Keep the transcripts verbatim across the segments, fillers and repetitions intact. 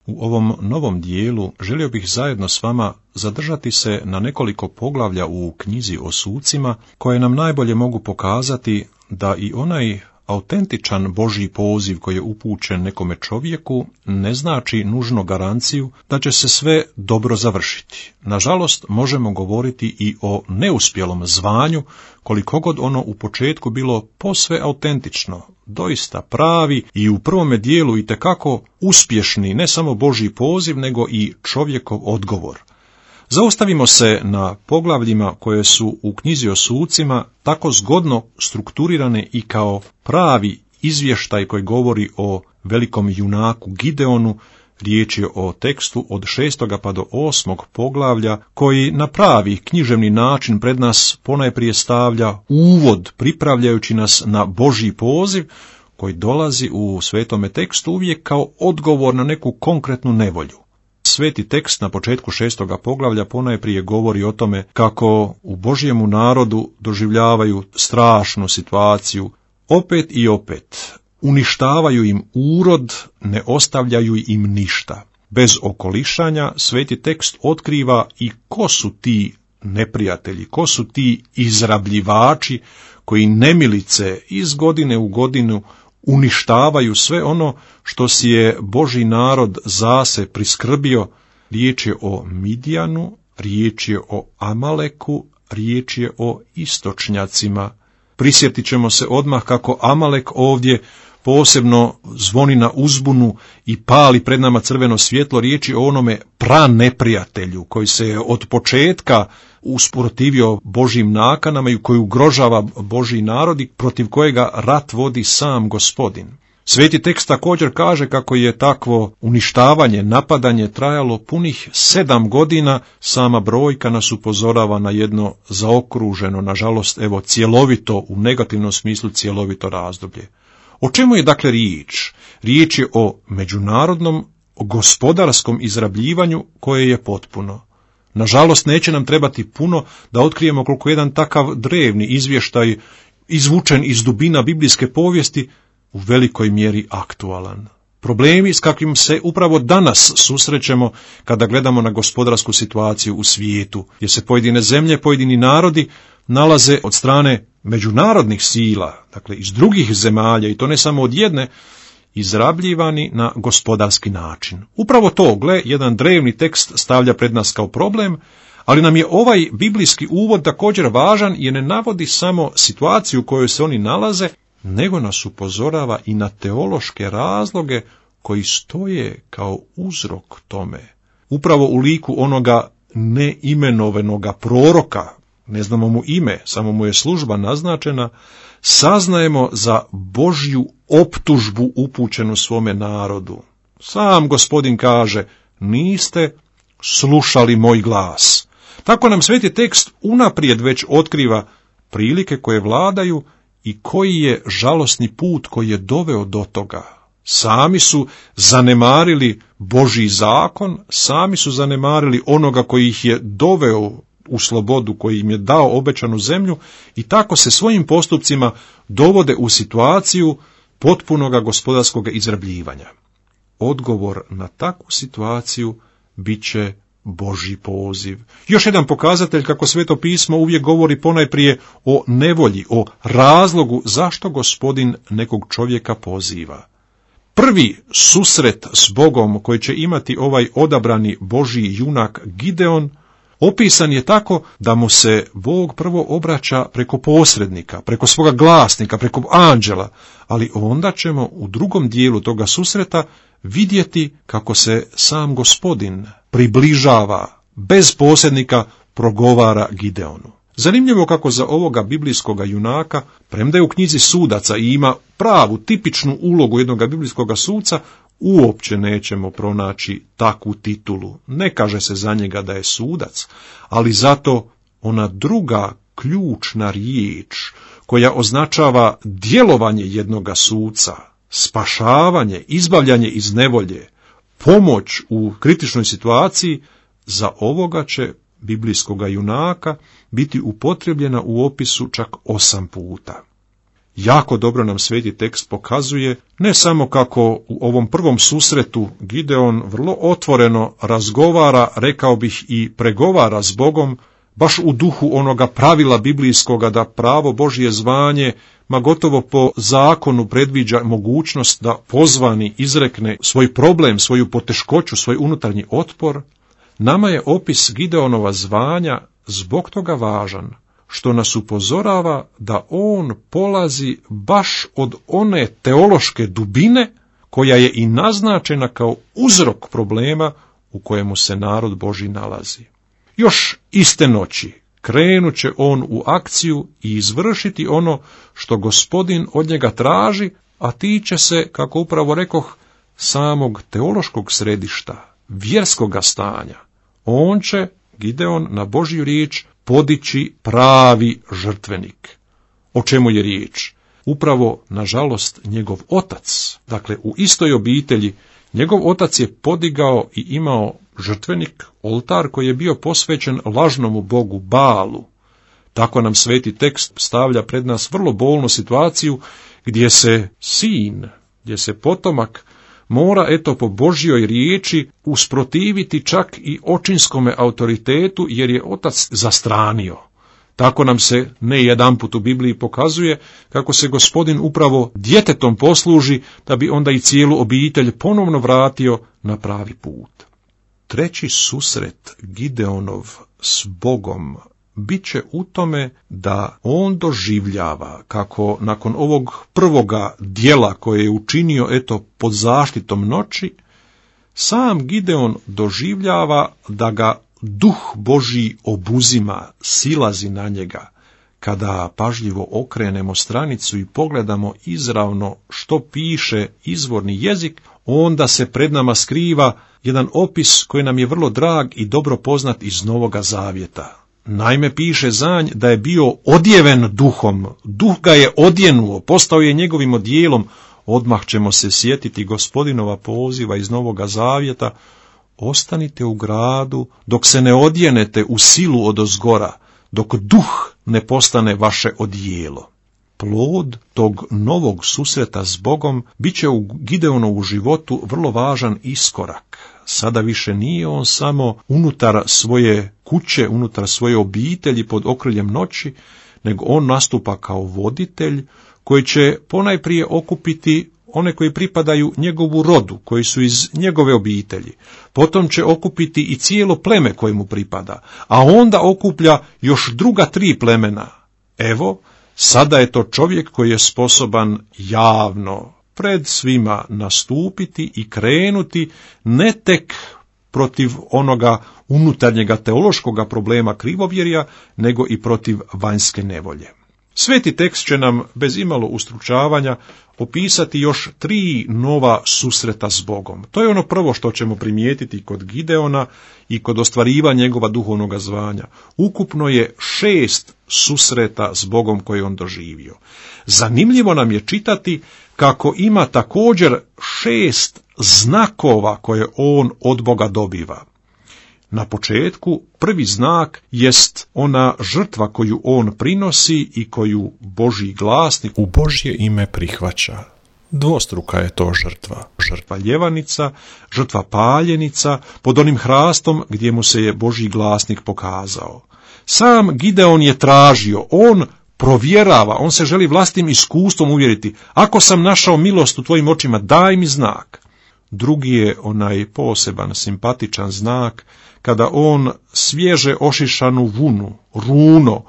U ovom novom dijelu želio bih zajedno s vama zadržati se na nekoliko poglavlja u knjizi o sucima, koje nam najbolje mogu pokazati da i onaj autentičan Božji poziv koji je upućen nekome čovjeku ne znači nužno garanciju da će se sve dobro završiti. Nažalost, možemo govoriti i o neuspjelom zvanju, koliko god ono u početku bilo posve autentično, doista pravi i u prvome dijelu itekako uspješni ne samo Božji poziv, nego i čovjekov odgovor. Zaustavimo se na poglavljima koje su u knjizi o sucima tako zgodno strukturirane i kao pravi izvještaj koji govori o velikom junaku Gideonu. Riječ je o tekstu od šestoga pa do osmog poglavlja, koji na pravi književni način pred nas ponajprije stavlja uvod, pripravljajući nas na Božji poziv, koji dolazi u svetome tekstu uvijek kao odgovor na neku konkretnu nevolju. Sveti tekst na početku šestoga poglavlja ponajprije govori o tome kako u Božjemu narodu doživljavaju strašnu situaciju, opet i opet. Uništavaju im urod, ne ostavljaju im ništa. Bez okolišanja sveti tekst otkriva i ko su ti neprijatelji, ko su ti izrabljivači koji nemilice iz godine u godinu uništavaju sve ono što si je Božji narod zase priskrbio. Riječ je o Midjanu, riječ je o Amaleku, riječ je o istočnjacima. Prisjetit ćemo se odmah kako Amalek ovdje posebno zvoni na uzbunu i pali pred nama crveno svjetlo. Riječ je o onome praneprijatelju koji se je od početka usprotivio Božjim nakanama i koji ugrožava Božji narod i protiv kojega rat vodi sam Gospodin. Sveti tekst također kaže kako je takvo uništavanje, napadanje trajalo punih sedam godina. Sama brojka nas upozorava na jedno zaokruženo, nažalost, evo, cjelovito, u negativnom smislu cjelovito razdoblje. O čemu je dakle riječ? Riječ je o međunarodnom gospodarskom izrabljivanju koje je potpuno. Nažalost, neće nam trebati puno da otkrijemo koliko jedan takav drevni izvještaj, izvučen iz dubina biblijske povijesti, u velikoj mjeri aktualan. Problemi s kakvim se upravo danas susrećemo kada gledamo na gospodarsku situaciju u svijetu, gdje se pojedine zemlje, pojedini narodi nalaze od strane međunarodnih sila, dakle iz drugih zemalja, i to ne samo od jedne, izrabljivani na gospodarski način. Upravo to, gle, jedan drevni tekst stavlja pred nas kao problem, ali nam je ovaj biblijski uvod također važan jer ne navodi samo situaciju u kojoj se oni nalaze, nego nas upozorava i na teološke razloge koji stoje kao uzrok tome. Upravo u liku onoga neimenovanoga proroka, ne znamo mu ime, samo mu je služba naznačena, saznajemo za Božju optužbu upućenu svome narodu. Sam Gospodin kaže, niste slušali moj glas. Tako nam sveti tekst unaprijed već otkriva prilike koje vladaju i koji je žalosni put koji je doveo do toga. Sami su zanemarili Božji zakon, sami su zanemarili onoga koji ih je doveo u slobodu, koji im je dao obećanu zemlju, i tako se svojim postupcima dovode u situaciju potpunoga gospodarskog izrabljivanja. Odgovor na takvu situaciju bit će Božji poziv. Još jedan pokazatelj kako Sveto pismo uvijek govori ponajprije o nevolji, o razlogu zašto Gospodin nekog čovjeka poziva. Prvi susret s Bogom koji će imati ovaj odabrani Božji junak Gideon opisan je tako da mu se Bog prvo obraća preko posrednika, preko svoga glasnika, preko anđela, ali onda ćemo u drugom dijelu toga susreta vidjeti kako se sam Gospodin približava, bez posrednika progovara Gideonu. Zanimljivo kako za ovoga biblijskoga junaka, premda je u knjizi sudaca i ima pravu, tipičnu ulogu jednoga biblijskoga suca, uopće nećemo pronaći takvu titulu. Ne kaže se za njega da je sudac, ali zato ona druga ključna riječ koja označava djelovanje jednoga suca, spašavanje, izbavljanje iz nevolje, pomoć u kritičnoj situaciji, za ovoga će biblijskoga junaka biti upotrebljena u opisu čak osam puta. jako dobro nam sveti tekst pokazuje, ne samo kako u ovom prvom susretu Gideon vrlo otvoreno razgovara, rekao bih i pregovara s Bogom, baš u duhu onoga pravila biblijskoga da pravo Božje zvanje, ma gotovo po zakonu predviđa mogućnost da pozvani izrekne svoj problem, svoju poteškoću, svoj unutarnji otpor. Nama je opis Gideonova zvanja zbog toga važan, što nas upozorava da on polazi baš od one teološke dubine koja je i naznačena kao uzrok problema u kojemu se narod Božji nalazi. Još iste noći krenut će on u akciju i izvršiti ono što Gospodin od njega traži, a tiče se, kako upravo rekoh, samog teološkog središta, vjerskoga stanja. On će, Gideon, na Božju riječ podići pravi žrtvenik. O čemu je riječ? Upravo, nažalost, njegov otac, dakle u istoj obitelji, njegov otac je podigao i imao žrtvenik, oltar koji je bio posvećen lažnomu bogu Balu. Tako nam sveti tekst stavlja pred nas vrlo bolnu situaciju gdje se sin, gdje se potomak mora, eto, po Božjoj riječi usprotiviti čak i očinskome autoritetu, jer je otac zastranio. Tako nam se ne jedanput u Bibliji pokazuje kako se Gospodin upravo djetetom posluži, da bi onda i cijelu obitelj ponovno vratio na pravi put. Treći susret Gideonov s Bogom bit će u tome da on doživljava kako nakon ovog prvoga dijela koje je učinio, eto, pod zaštitom noći, sam Gideon doživljava da ga Duh Božji obuzima, silazi na njega. Kada pažljivo okrenemo stranicu i pogledamo izravno što piše izvorni jezik, onda se pred nama skriva jedan opis koji nam je vrlo drag i dobro poznat iz Novoga Zavjeta. Naime, piše za nj da je bio odjeven duhom, duh ga je odjenuo, postao je njegovim odjelom. Odmah ćemo se sjetiti Gospodinova poziva iz Novoga Zavjeta: ostanite u gradu dok se ne odjenete u silu odozgora, dok duh ne postane vaše odijelo. Plod tog novog susreta s Bogom bit će u Gideonovu životu vrlo važan iskorak. Sada više nije on samo unutar svoje kuće, unutar svoje obitelji pod okriljem noći, nego on nastupa kao voditelj koji će ponajprije okupiti one koji pripadaju njegovu rodu, koji su iz njegove obitelji. Potom će okupiti i cijelo pleme koje mu pripada, a onda okuplja još druga tri plemena. Evo, sada je to čovjek koji je sposoban javno pred svima nastupiti i krenuti ne tek protiv onoga unutarnjega teološkoga problema krivovjerja, nego i protiv vanjske nevolje. Sveti tekst će nam bez imalo ustručavanja opisati još tri nova susreta s Bogom. To je ono prvo što ćemo primijetiti kod Gideona i kod ostvarivanja njegova duhovnog zvanja. Ukupno je šest susreta s Bogom koje on doživio. Zanimljivo nam je čitati kako ima također šest znakova koje on od Boga dobiva. Na početku prvi znak jest ona žrtva koju on prinosi i koju Božji glasnik u Božje ime prihvaća. Dvostruka je to žrtva. Žrtva ljevanica, žrtva paljenica, pod onim hrastom gdje mu se je Božji glasnik pokazao. Sam Gideon je tražio, on provjerava, on se želi vlastnim iskustvom uvjeriti: ako sam našao milost u tvojim očima, daj mi znak. Drugi je onaj poseban, simpatičan znak, kada on svježe ošišanu vunu, runo,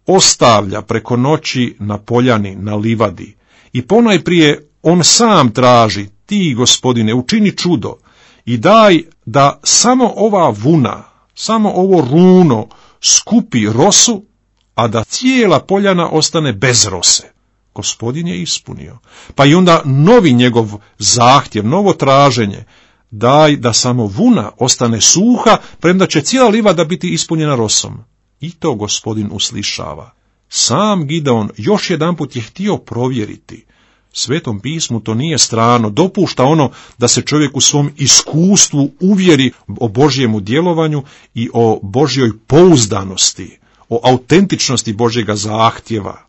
ostavlja preko noći na poljani, na livadi. I ponajprije on sam traži: ti, Gospodine, učini čudo i daj da samo ova vuna, samo ovo runo skupi rosu, a da cijela poljana ostane bez rose. Gospodin je ispunio. Pa i onda novi njegov zahtjev, novo traženje: daj da samo vuna ostane suha, premda će cijela livada biti ispunjena rosom. I to Gospodin uslišava. Sam Gideon još jedanput je htio provjeriti. Svetom pismu to nije strano, dopušta ono da se čovjek u svom iskustvu uvjeri o Božjemu djelovanju i o Božjoj pouzdanosti, o autentičnosti Božjega zahtjeva.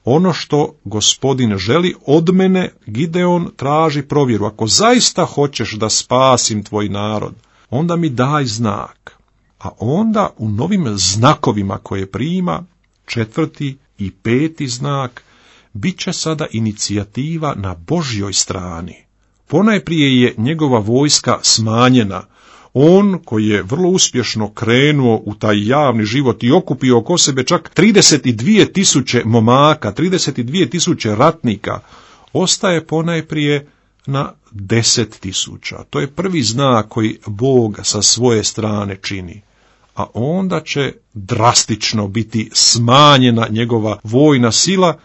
ono što Gospodin želi od mene, Gideon traži provjeru. Ako zaista hoćeš da spasim tvoj narod, onda mi daj znak. A onda u novim znakovima koje prima, četvrti i peti znak, bit će sada inicijativa na Božjoj strani. Ponajprije je njegova vojska smanjena. On, koji je vrlo uspješno krenuo u taj javni život i okupio oko sebe čak trideset dvije tisuće momaka, trideset dvije tisuće ratnika, ostaje ponajprije na deset tisuća. To je prvi znak koji Bog sa svoje strane čini. A onda će drastično biti smanjena njegova vojna sila.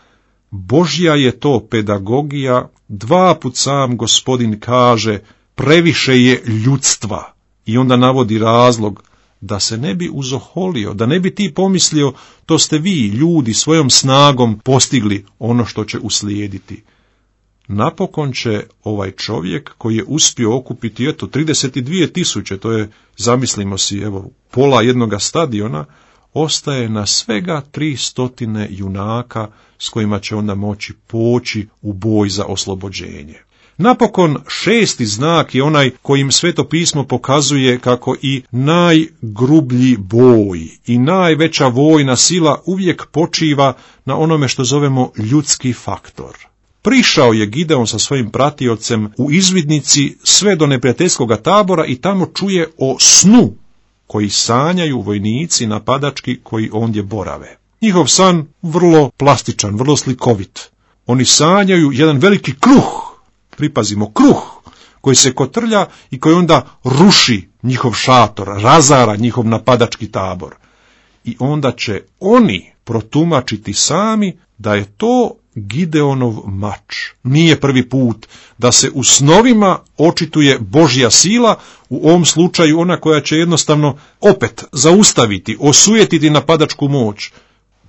Božja je to pedagogija. Dva put sam Gospodin kaže, previše je ljudstva. I onda navodi razlog, da se ne bi uzoholio, da ne bi ti pomislio, to ste vi, ljudi, svojom snagom postigli ono što će uslijediti. Napokon će ovaj čovjek koji je uspio okupiti, eto, trideset dvije tisuće, to je, zamislimo si, evo, pola jednoga stadiona, ostaje na svega tri stotine junaka s kojima će onda moći poći u boj za oslobođenje. Napokon šesti znak je onaj kojim Sveto pismo pokazuje kako i najgrublji boj i najveća vojna sila uvijek počiva na onome što zovemo ljudski faktor. Prišao je Gideon sa svojim pratiocem u izvidnici sve do neprijateljskog tabora i tamo čuje o snu koji sanjaju vojnici napadački koji ondje borave. Njihov san vrlo plastičan, vrlo slikovit. Oni sanjaju jedan veliki kruh, pripazimo, kruh, koji se kotrlja i koji onda ruši njihov šator, razara njihov napadački tabor. I onda će oni protumačiti sami da je to Gideonov mač. Nije prvi put da se u snovima očituje Božja sila, u ovom slučaju ona koja će jednostavno opet zaustaviti, osujetiti napadačku moć.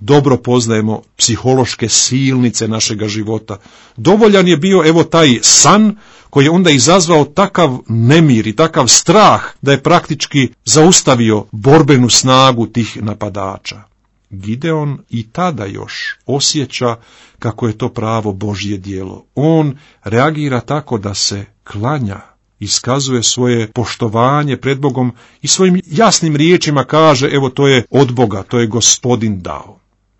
Dobro poznajemo psihološke silnice našega života. Dovoljan je bio evo taj san koji je onda izazvao takav nemir i takav strah da je praktički zaustavio borbenu snagu tih napadača. Gideon i tada još osjeća kako je to pravo Božje djelo. On reagira tako da se klanja, iskazuje svoje poštovanje pred Bogom i svojim jasnim riječima kaže, evo to je od Boga, to je Gospodin dao.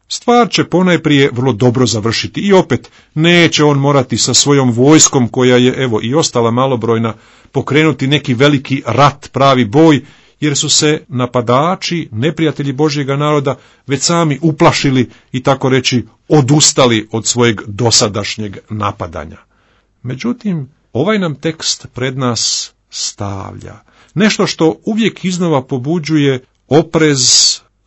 Stvar će ponajprije vrlo dobro završiti i opet neće on morati sa svojom vojskom koja je evo i ostala malobrojna pokrenuti neki veliki rat, pravi boj, jer su se napadači, neprijatelji Božjega naroda, već sami uplašili i tako reći odustali od svojeg dosadašnjeg napadanja. Međutim, ovaj nam tekst pred nas stavlja nešto što uvijek iznova pobuđuje oprez,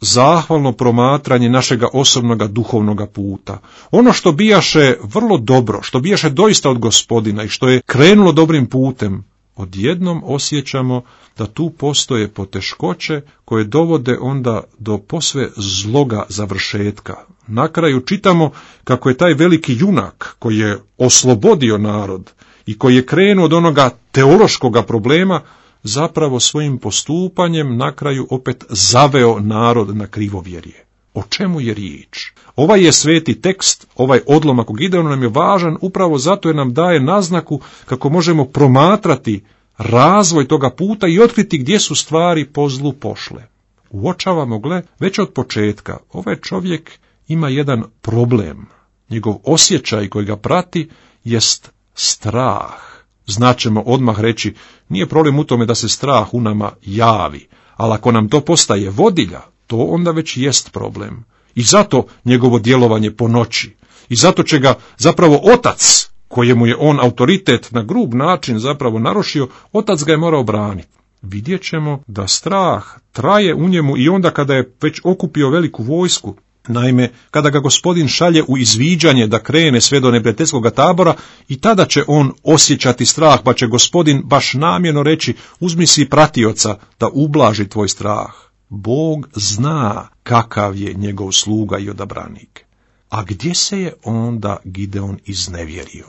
zahvalno promatranje našega osobnoga duhovnoga puta. Ono što bijaše vrlo dobro, što bijaše doista od Gospodina i što je krenulo dobrim putem, odjednom osjećamo da tu postoje poteškoće koje dovode onda do posve zloga završetka. Na kraju čitamo kako je taj veliki junak koji je oslobodio narod i koji je krenuo od onoga teološkoga problema, zapravo svojim postupanjem na kraju opet zaveo narod na krivovjerje. O čemu je riječ? Ovaj je sveti tekst, ovaj odlomak u Gideonu nam je važan upravo zato jer nam daje naznaku kako možemo promatrati razvoj toga puta i otkriti gdje su stvari po zlu pošle. Uočavamo, gle, već od početka, ovaj čovjek ima jedan problem. Njegov osjećaj koji ga prati jest strah. Znaćemo odmah reći, nije problem u tome da se strah u nama javi, ali ako nam to postaje vodilja, to onda već jest problem. I zato njegovo djelovanje po noći. I zato će ga zapravo otac, kojemu je on autoritet na grub način zapravo narušio, otac ga je morao braniti. Vidjet ćemo da strah traje u njemu i onda kada je već okupio veliku vojsku. Naime, kada ga Gospodin šalje u izviđanje da krene sve do neprijateljskog tabora, i tada će on osjećati strah, pa će Gospodin baš namjerno reći, uzmi si pratioca da ublaži tvoj strah. Bog zna kakav je njegov sluga i odabranik. A gdje se je onda Gideon iznevjerio?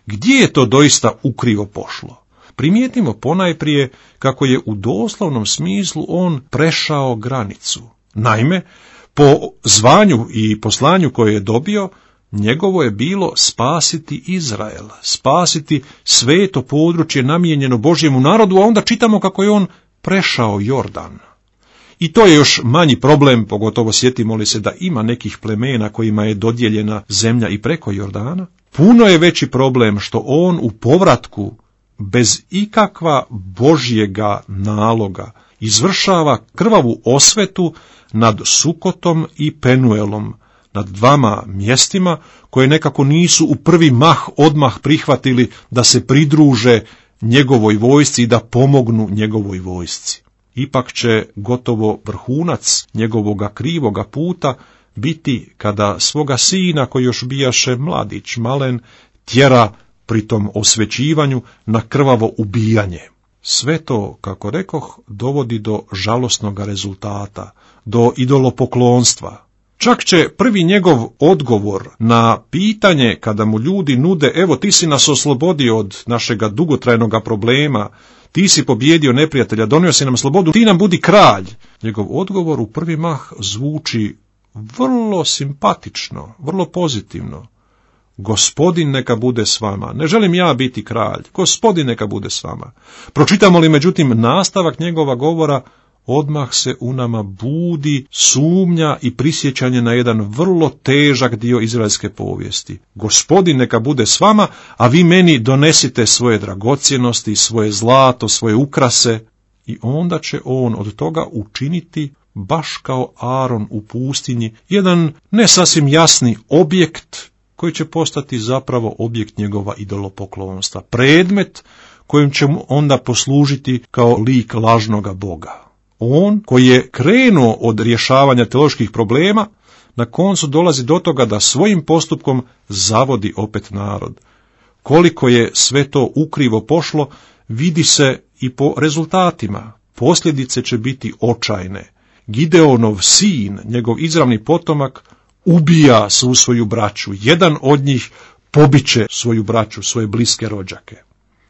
Gdje je to doista ukrivo pošlo? Primijetimo ponajprije kako je u doslovnom smislu on prešao granicu. Naime, po zvanju i poslanju koje je dobio, Njegovo je bilo spasiti Izrael, spasiti sveto područje namijenjeno Božjemu narodu, a onda čitamo kako je on prešao Jordan. I to je još manji problem, pogotovo sjetimo li se da ima nekih plemena kojima je dodijeljena zemlja i preko Jordana. Puno je veći problem što on u povratku bez ikakva Božjega naloga izvršava krvavu osvetu nad Sukotom i Penuelom, nad dvama mjestima koje nekako nisu u prvi mah odmah prihvatili da se pridruže njegovoj vojsci i da pomognu njegovoj vojsci. Ipak će gotovo vrhunac njegovoga krivoga puta biti kada svoga sina, koji još bijaše mladić, malen, tjera pri tom osvećivanju na krvavo ubijanje. Sve to, kako rekoh, dovodi do žalosnog rezultata, do idolopoklonstva. Čak će prvi njegov odgovor na pitanje kada mu ljudi nude, evo ti si nas oslobodio od našega dugotrajnog problema, ti si pobjedio neprijatelja, donio si nam slobodu, ti nam budi kralj. Njegov odgovor u prvi mah zvuči vrlo simpatično, vrlo pozitivno. Gospodin neka bude s vama. Ne želim ja biti kralj. Gospodin neka bude s vama. Pročitamo li međutim nastavak njegova govora, odmah se u nama budi sumnja i prisjećanje na jedan vrlo težak dio izraelske povijesti. Gospodin neka bude s vama, a vi meni donesite svoje dragocjenosti, svoje zlato, svoje ukrase. I onda će on od toga učiniti, baš kao Aron u pustinji, jedan ne sasvim jasni objekt koji će postati zapravo objekt njegova idolopoklonstva. Predmet kojim će mu onda poslužiti kao lik lažnoga Boga. On koji je krenuo od rješavanja teoloških problema, na koncu dolazi do toga da svojim postupkom zavodi opet narod. Koliko je sve to ukrivo pošlo, vidi se i po rezultatima. Posljedice će biti očajne. Gideonov sin, njegov izravni potomak, ubija svu svoju braću. Jedan od njih pobiće svoju braću, svoje bliske rođake.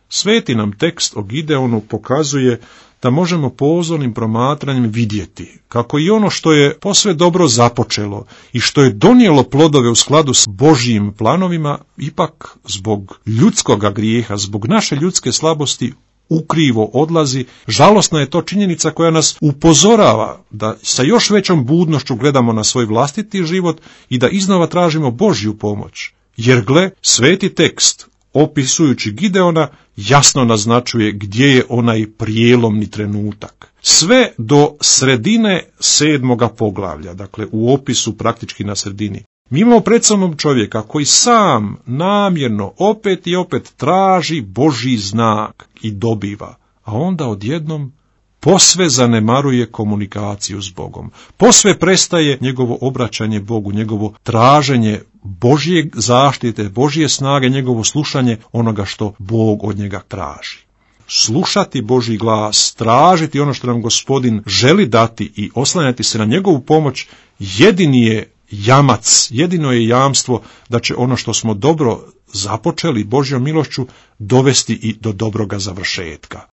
Sveti nam tekst o Gideonu pokazuje da možemo pozornim promatranjem vidjeti kako i ono što je posve dobro započelo i što je donijelo plodove u skladu s Božjim planovima, ipak zbog ljudskoga grijeha, zbog naše ljudske slabosti ukrivo odlazi. Žalosna je to činjenica koja nas upozorava da sa još većom budnošću gledamo na svoj vlastiti život i da iznova tražimo Božju pomoć. Jer gle, sveti tekst, opisujući Gideona, jasno naznačuje gdje je onaj prijelomni trenutak. Sve do sredine sedmoga poglavlja, dakle u opisu praktički na sredini, mi imamo pred sobom čovjeka koji sam namjerno opet i opet traži Božji znak i dobiva, a onda odjednom posve zanemaruje komunikaciju s Bogom. Posve prestaje njegovo obraćanje Bogu, njegovo traženje Božje zaštite, Božje snage, njegovo slušanje onoga što Bog od njega traži. Slušati Božji glas, tražiti ono što nam Gospodin želi dati i oslanjati se na njegovu pomoć, jedini je jamac, jedino je jamstvo da će ono što smo dobro započeli Božjom milošću dovesti i do dobroga završetka.